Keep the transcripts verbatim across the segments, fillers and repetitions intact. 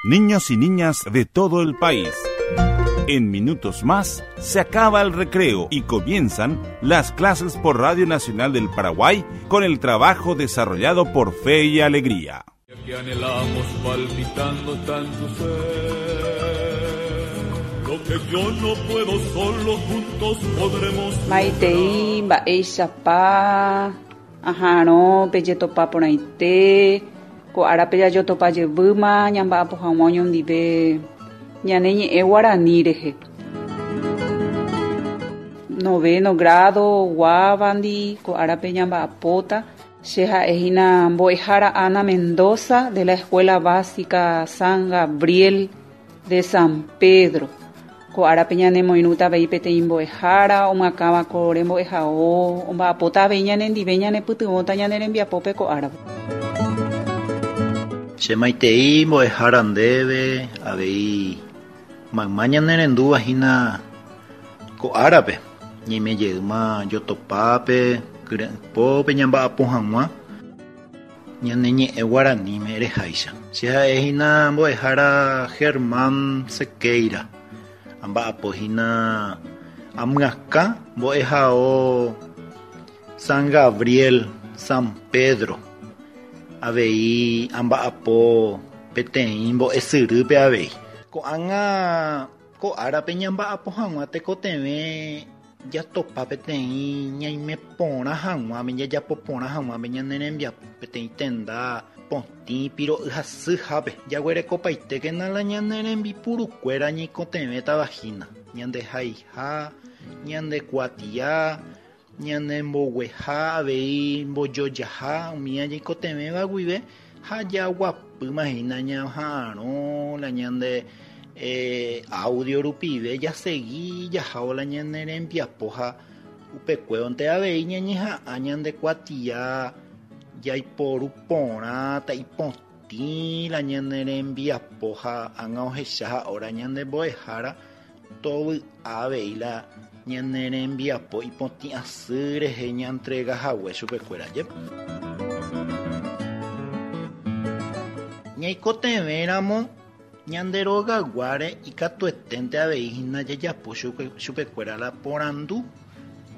Niños y niñas de todo el país. En minutos más se acaba el recreo y comienzan las clases por Radio Nacional del Paraguay con el trabajo desarrollado por Fe y Alegría. Que anhelamos palpitando tanto ser. Lo que yo no puedo solo, juntos podremos. Maitei, mba'éichapa, aha'arõ pejetopa porãite, ko árape jajotopa jevýma ñamba'apo hag̃ua oñondive ñane ñe'ẽ guarani rehe. Noveno grado guávandi ko árape ñamba'apóta. Che ha'ehína mbo'ehára Ana Mendoza de la Escuela Básica San Gabriel de San Pedro. Ko árape ñanemoirũta avei peteĩ mbo'ehára omyakãva ko rembo'ehao omba'apóta avei ñanendive ñanepytyvõta ñane rembiapópe ko árape. Che maitei mbo'ehára ndéve avei mayma ñanerendúva hína ko árape ñaimejeýma jotopápe kyre'ỹpópe ñamba'apo hag̃ua ñane ñe'ẽ guaraníme reháicha. Che ha'ehína mbo'ehára Germán Sequeira amba'apohína amyakã mbo'ehao San Gabriel San Pedro avei amba'apo peteĩ mbo'esyrýpe avei. Ko'ág̃a ko árape ñamba'apo hag̃ua tekotevẽ jatopa peteĩ ñaime porã hag̃uáme jajapo porã hag̃uáme ñane rembiapo peteĩ tenda potĩ piro'y hasyhápe jaguerekopaitékena la ñane rembipurukuéra ñaikotevẽtavahína ñandehaiha ñandekuatia ñanembogueha avei mbojojaha umi ñaikotevẽva guive ha jaguapýmahína ñaha'arõ la ñande eh, audio rupive jasegi jahávo la ñane rembiapo ha upekuévonte avei ñañeha'ã ñandekuatia jaiporu porã ta'ipotĩ la ñane rembiapo ha ág̃a ohecha ha'óra ñande mbo'ehára tovy'a avei la ñane rembiapo ipotĩ asy rehe ñantrega hague chupekuéra jepe. Ñaikotevẽramo ñande rogayguáre ikatueténte avei hína jajapo chupekuéra la porandu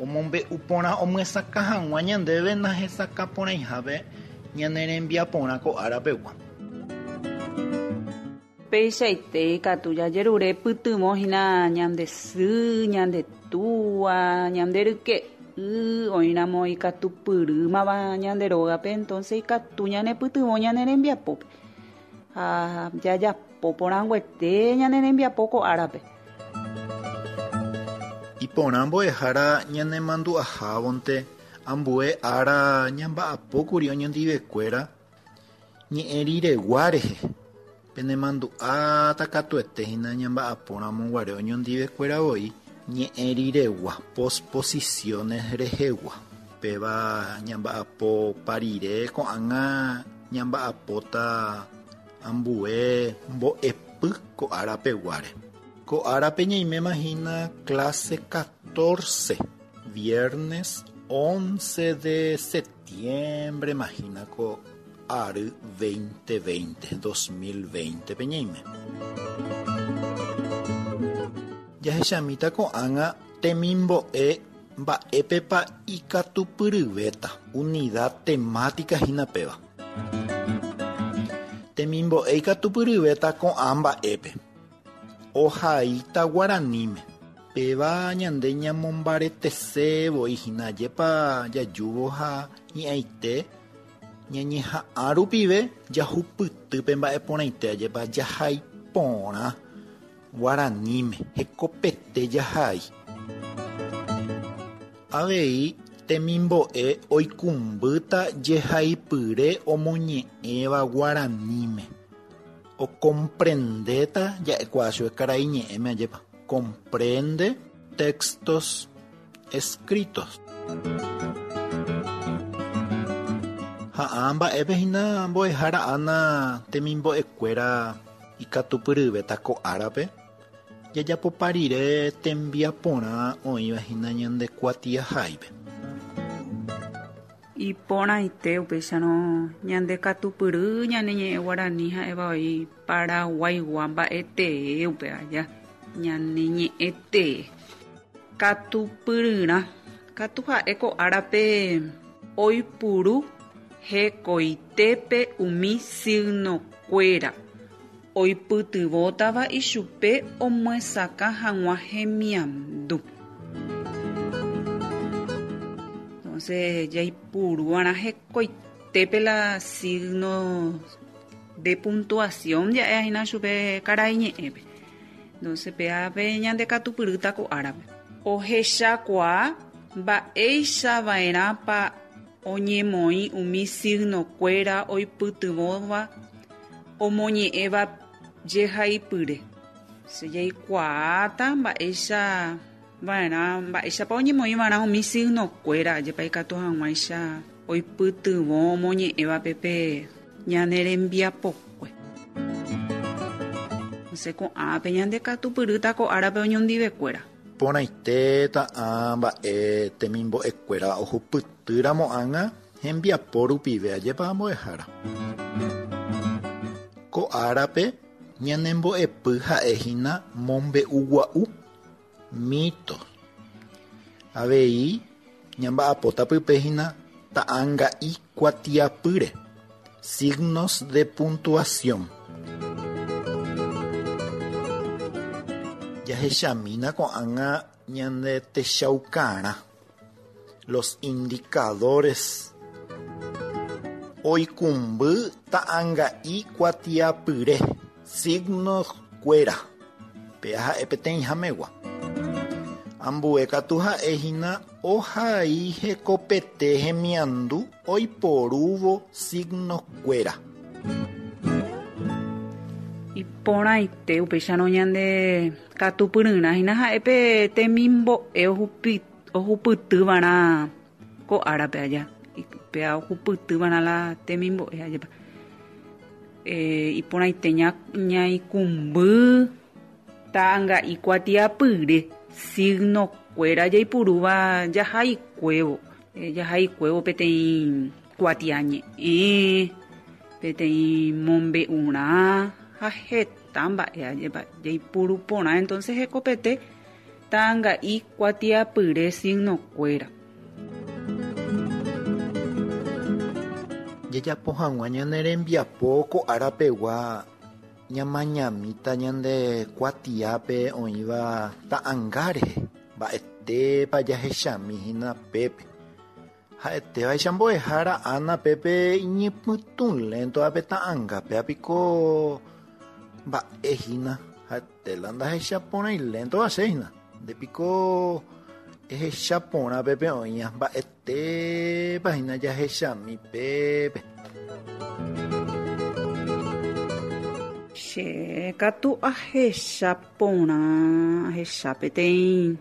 omombe'u porã omyesakã hag̃ua ñandéve nahesakã porãihápe ñane rembiaporã ko árapegua. Peichaite katu jajerure pytyvõ hína ñande sy, ñande túa, ñande ryke'y oĩramo ikatupyrýmava ñande rógape entonces ikatu ñanepytyvõ ñane rembiapópe ha jajapo porãnguete ñane rembiapo ko árape. Iporã mbo'ehára ñanemandu'ahávonte ambue ára ñamba'apókuri oñondivekuéra ñe'ẽ riregua rehe penemandu'áta katuete hína ñamba'apóramo guare oñondivekuéra voi ñe'ẽ riregua posposiciones rehegua péva ñamba'apo rire ko'ág̃a ñamba'apóta ambue mbo'epy ko árapeguáre. Ko árape ñaiméma hína clase catorce, viernes once de septiembre mahína ko ary dos mil veinte, dos mil veinte pe ñaime. Jahechamíta ko'ág̃a temimbo'e mba'épepa ikatupyryvéta unidad temática hína péva. Temimbo'e ikatupyryvéta ko'ã mba'épe. Ohaíta guaraníme. Péva ñande ñamombaretese voi hína ajépa jajúvo ha hi'ãite ñañeha'ã rupive jahupytýpe mba'e porãite ajépa jahai porã guaraníme hekopete jahai. Avei temimbo'e oikũmbýta jehaipyre omoñe'ẽva guaraníme. Ocomprendéta ja'ekuaa chupe karai ñe'ẽme ajépa. Comprende textos escritos. Ha ã mba'épe hína mbo'ehára Ana temimbo'ekuéra ikatupyryvéta ko árape jajapopa rire tembiaporã oĩva hína ñande kuatiaháipe. Iporãite upéicharõ ñande katupyry ñane ñe'ẽ guarani ha'éva oĩ Paraguaigua mba'etee upe aja ñane ñe'ẽtee. Katupyryrã katu ha'e ko árape oipuru hekoitépe umi signokuéra oipytyvõtava ichupe omyesakã hag̃ua hemiandu. Entonces jaipuru'arã hekoitépe la signo de puntuación ja'ehína chupe karai ñe'ẽpe. Entonces péape ñande katupyrýta ko árape. Ohechakuaa mba'eichava'erãpa oñemoĩ umi signokuéra oipytyvõva omoñe'ẽva jehaipyre. Se jaikuaáta mba'éicha va'erã mba'éichapa oñemoĩva'erã umi signokuéra jepa ikatu hag̃uáicha oipytyvõ omoñe'ẽvape pe ñane rembiapokue. Entonces ko'ápe ñande katupyrýta ko árape oñondivekuéra. Porãite ta'ã mba'e temimbo'ekuéra ohupytýramo ág̃a hembiapo rupive ajépa mbo'ehára. Ko árape ñanembo'epy ha'ehína mombe'ugua'u mito. Avei ñamba'apóta pypehína ta'ãnga'i kuatiapýre signos de puntuación. Jahechamína ko'ág̃a ñande techaukarã los indicadores oikũmby ta'ãnga'i kuatiapyre signos kuéra péa ha'e peteĩhamegua. Ambue katu ha'ehína ohai hekopete hemiandu oiporúvo signos kuéra. Iporãite upéicharõ ñande katupyryrã hína ha'e pe temimbo'e ohupi ohupytýva'erã ko árape aja. Péa ohupytýva'erã la temimbo'e ajépa. Eh, iporãite ñaikũmby ta'ãnga'i kuatiapyre signokuéra jaipurúva jahaikuévo. Eh, jahaikuévo peteĩ kuatiañe'ẽ, peteĩ mombe'urã ha heta mba'e ajépa jaipuru porã. Entonces hekopete ta'ãnga'i kuatiapyre signokuéra. Jajapo hag̃ua ñane rembiapo ko árapegua ñamañamíta ñande kuatiápe oĩva ta'ãnga rehe mba'etépa jahechamíhína pépe. Ha'etévaicha mbo'ehára Ana pépe iñypytũléntovape ta'ãnga péapiko mba'ehína ha'etéla ndahechaporãiléntova chéhina. Ndépiko ehechaporã pépe oĩva mba'etépa hína jahechami pépe. Che katu ahechaporã ahecha peteĩ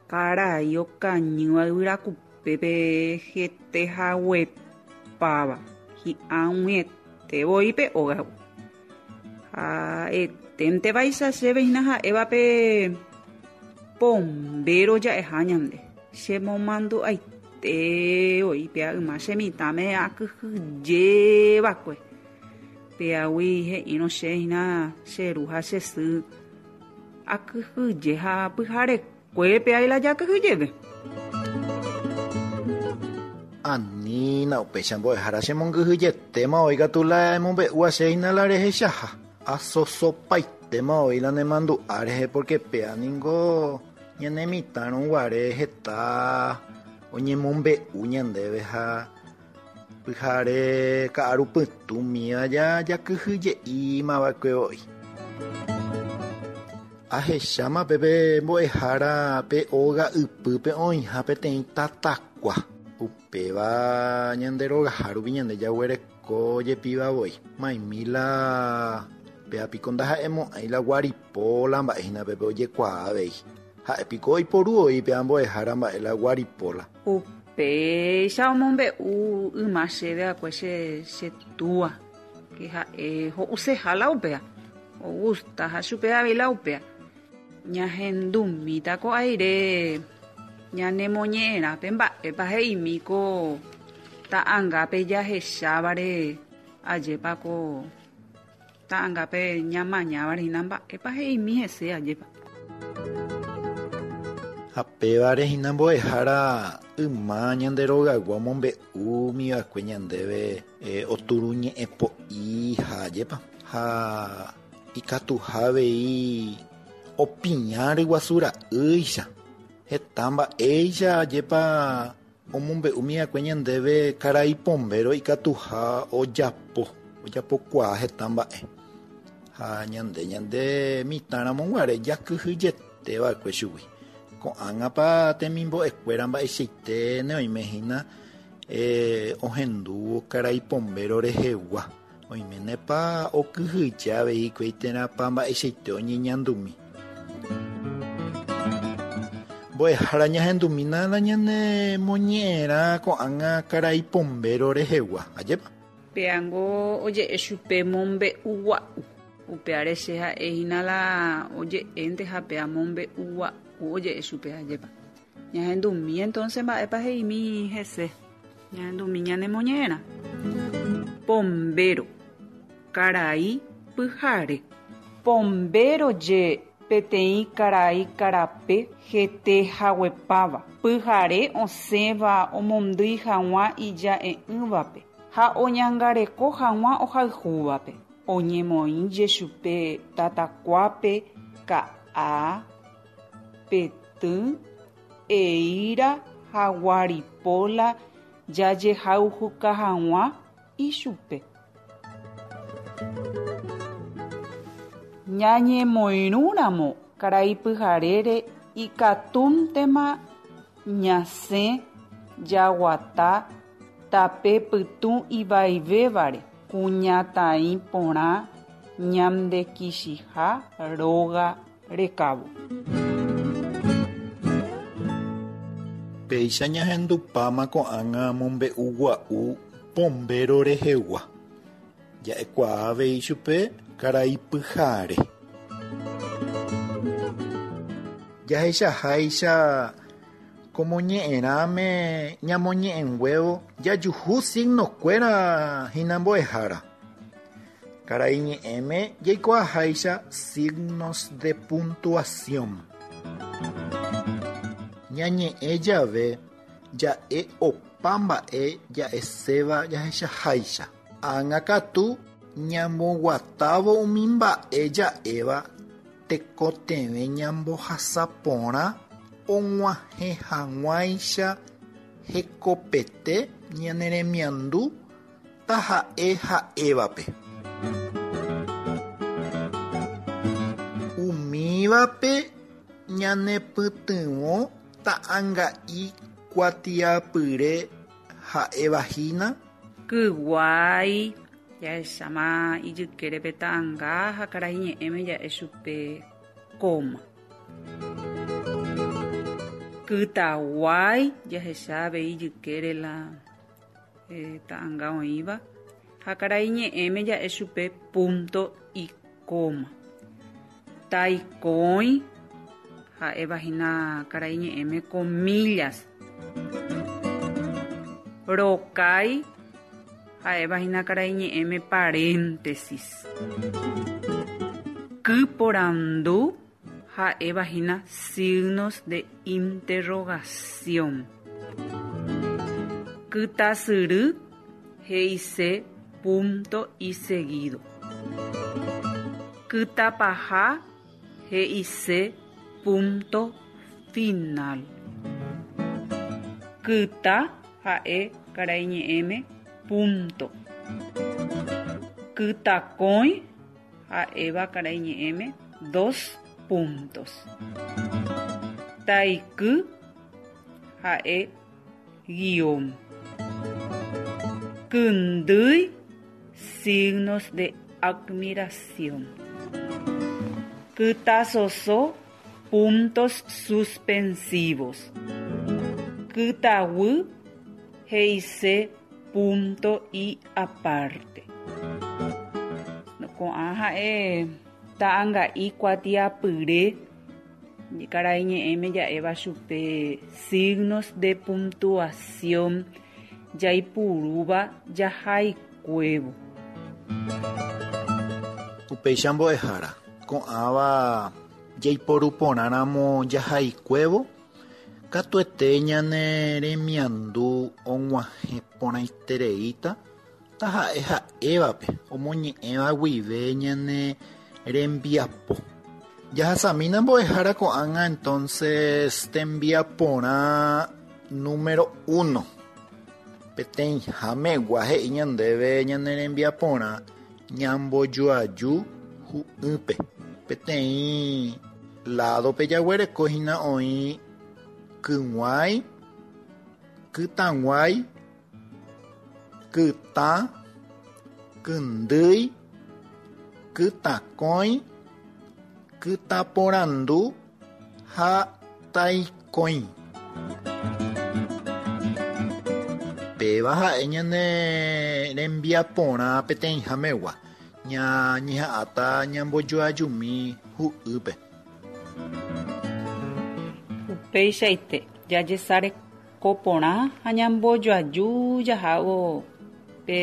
karai okañýva yvyrakupépe hete haguepáva hi'ag̃uiete voi pe ógagui. Ha'eténtevaicha chéve hína ha'éva pe pombéro ja'eha ñande. Chemomandu'aite voi péa yma che mitãme akyhyjévakue. Péagui he'írõ che hína che ru ha che sy akyhyje ha pyharekue péa la jakyhyjépe. Anína upéicha mbo'ehára chemongyhyjetéma oĩ katu la emombe'úva chéhina la rehechaha. Asosopaitéma oĩ la nemandu'a rehe porque péa ningo ñane mitãrõ guare heta oñemombe'u ñandéve ha pyhare ka'arupytũmíva jakyhyje'ímava'ekue voi. Ahecháma pépe mbo'ehára pe óga ypýpe oĩha peteĩ tatakua. Upéva ñande rogaha rupi ñande jaguereko jepíva voi. Maimi la péapiko ndaha'emo'ãi la guaripola mba'ehína pépe ojekuaa avei. Ha'épiko oiporu oĩ péa mbo'ehára mba'e la guaripola. Upéicha omombe'u yma chéve akue che che túa que ha'e ho'useha la upéa. Ogustaha chupe avei la upéa. Ñahendumíta ko aire ñanemoñe'ẽrã pe mba'épa he'imi ko Ta'angápe jahechávare ajépa ko ta'angápe ñamañávare hína mba'épa he'imi hese ajépa. Ha pévare hína mbo'ehára yma ñande rogaygua omombe'úmiva'ekue ñandéve eh, oturuñe'ẽpo'i ha ajépa ha ikatuha avei opiña ryguasu ra'ýicha heta mba'éicha ajépa omombe'úmiva'ekue ñandéve karai Pombéro ikatuha ojapo ojapokuaa heta mba'e ha ñande ñande mitãramo guare jakyhyjeteva'ekue chugui ko'ág̃apa temimbo'ekuéra mba'eichaite neoime hína eh, ohendúvo karai Pombéro rehegua oiménepa okyhyje avei hikuái térãpa mba'eichaite oñeñandumi. Mbo'ehára ñahendumína la ñane moñe'ẽrã ko'ág̃a karai Pombéro rehegua, ajépa? Péango oje'e chupe mombe'ugua'u. Upéare che ha'e hína la oje'énte ha péa mombe'ugua'u oje'e chupe ajépa. Ñahendumi entonces mba'épa he'imi hese. Ñahendumi ñanemoñe'ẽrã. Pombéro, karai pyhare. Pombéro je peteĩ karai karape hete haguepáva. Pyhare osẽva omondýi hag̃ua ija'e'ỹvape ha oñangareko hag̃ua ohayhúvape. Oñemoĩje chupe tatakuápe ka'a, petỹ, eíra ha guaripóla jajehayhuka hag̃ua ichupe. Ñañemoirũramo karai pyharére ikatúntema ñasẽ jaguata tape pytũ ivaivévare kuñataĩ porã ñandekichiha róga rekávo. Péicha ñahendupáma ko'ág̃a mombe'ugua'u Pombéro rehegua. Ja'ekuaa avei chupe karai pyhare. Jahechaháicha komoñe'ẽrãme ñamoñe'ẽnguévo jajuhu signokuéra hína mbo'ehára. Karai ñe'ẽme jaikuaaháicha signos de puntuación. Ñañe'ẽ jave ja'e opa mba'e ja'eséva jahechaháicha. Ág̃a katu ñamboguatávo umi mba'e ja'éva tekotevẽ ñambohasa porã og̃uahẽ hag̃uáicha hekopete ñane remiandu taha'e ha'évape. Umívape ñanepytyvõ ta'ãnga'i kuatiapyre ha'evahína Kyguái jahecháma ijykérepe ta'ãnga ha karai ñe'ẽme ja'e chupe coma. Kytaguái jahecha avei ijykére la eh, ta'ãnga oĩva ha karai ñe'ẽme ja'e chupe punto y coma. Taikõi ha'evahína karai ñe'ẽme comillas. Rokái ha'evahína karai ñe'ẽme paréntesis. Kyporandu ha'evahína signos de interrogación. Kytasyry he'ise punto y seguido. Kytapaha he'ise punto final. Kyta ha'e karai ñe'ẽme punto. Kytakõi ha'éva karai ñe'ẽme dos puntos. Taiky ha'e guión. Kyndýi signos de admiración. Kytasoso puntos suspensivos. Kytaguy he'ise punto y aparte. Ko'ã ha'e ta'ãnga'i kuatiapyre karai ñe'ẽme ja'éva chupe signos de puntuación jaipurúva jahaikuévo. Upéicha mbo'ehára ko'ãva jaiporuporãramo jahaikuévo katuete ñane remiandu og̃uahẽ porãitereíta taha'e ha'évape omoñe'ẽva guive ñane rembiapo. Jahasamína mbo'ehára ko'ág̃a entonces tembiaporã número uno. Peteĩhámegua he'i ñandéve ñane rembiaporã ñambojoaju hu'ýpe. Peteĩ ládope jaguereko hína oĩ kyg̃uái, kytãguái, kytã, kyndýi, kytãkõi, kytãporandu ha taikõi. Péva ha'e ñane rembiaporã peteĩhámegua. Ñañeha'ãta ñambojoajumi hu'ýpe. Upeichaite jajesarekoporã ha ñambojoaju jahávo pe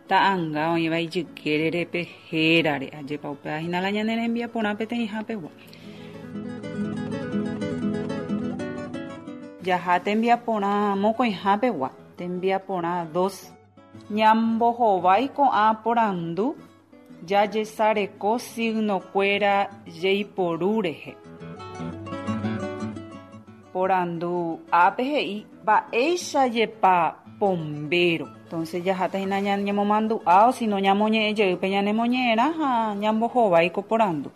ta'ãnga oĩva ijykérere pe hérare ajépa upéva hína la ñane rembiaporã peteĩhápegua. Jaha tembiaporã mokõihápegua, tembiaporã dos. Ñambohovái ko'ã porandu jajesareko signokuéra jeiporu rehe. Porandu ápe he'i mba'éichajepa pombéro. Entonces jaháta hína ñañemomandu'a o sino ñamoñe'ẽjeýpe ñanemoñe'ẽrã ha ñambohovái ko porandu.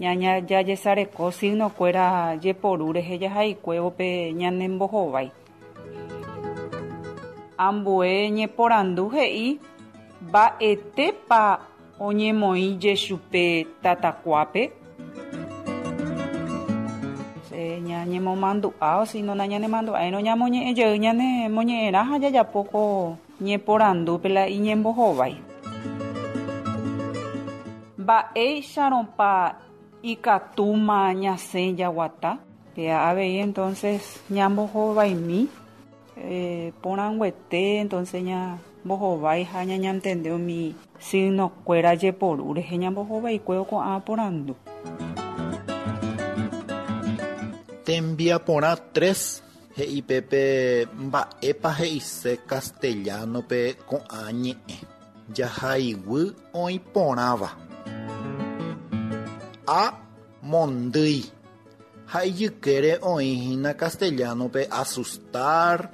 Ñaña jajesareko signokuéra jeporu rehe jahaikuévo pe ñanembohovái. Ambue ñeporandu he'i mba'etépa oñemoĩ jechupe tatakuápe. Ñañemomandu'a o sino nañanemandu'áirõ ñamoñe'ẽjey ñanemoñe'ẽrã ha jajapo ko ñeporandúpe la iñembohovái. Mba'éicharõpa ikatúma ñasẽ jaguata. Péa avei entonces ñambohovaimi eh, porãnguete entonces ñambohovái ha ñañantende umi signokuéra jeporu rehe ñambohovaikuévo ko'ã porandu. Tembiaporã tres he'i pépe mba'épa he'ise castellano-pe ko'ã ñe'ẽ. Jahaiguy oĩ porãva. A. Mondýi. Ha ijykére oĩ hína castellano-pe asustar,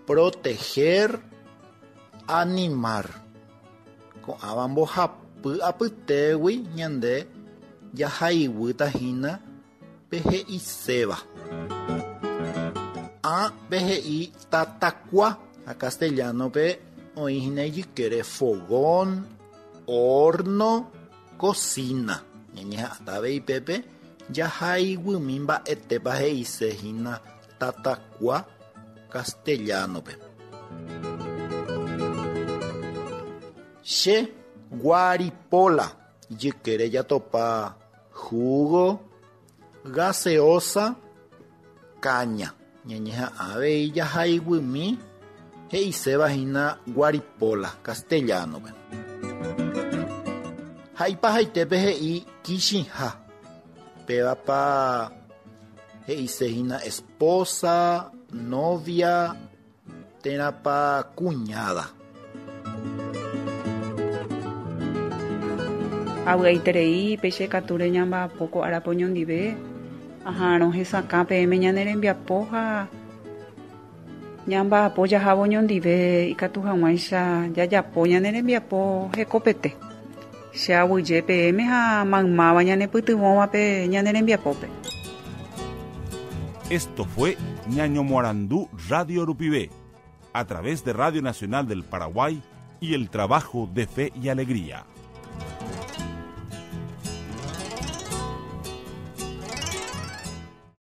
proteger, animar. Ko'ãva mbohapy apytégui ñande jahaiguýta hína pe he'iséva. A. Pe he'i tatakua ha castellano-pe oĩ hína ijykére fogón, horno, cocina. Ñañeha'ãta avei pépe jahaiguymi mba'etépa he'ise hína tatakua castellano-pe. Che guaripola ijykére jatopa jugo, gaseosa, caña. Ñañeha'ã avei jahaiguymi he'iséva hína guaripola castellano-pe. Ha ipahaitépe he'i kichiha. Pévapa he'ise hína esposa, novia, térãpa cuñada. Avy'aiterei péicha ikatúre ñamba'apo ko árape oñondive aha'arõ hesakã peẽme ñane rembiapo ha ñamba'apo jahávo oñondive ikatu hag̃uáicha jajapo ñane rembiapo hekopete. Che aguyje peẽme ha maymáva ñanepytyvõvape ñane rembiapópe. Esto fue Ñañomoarandú Radio Rupive, a través de Radio Nacional del Paraguay y el trabajo de Fe y Alegría.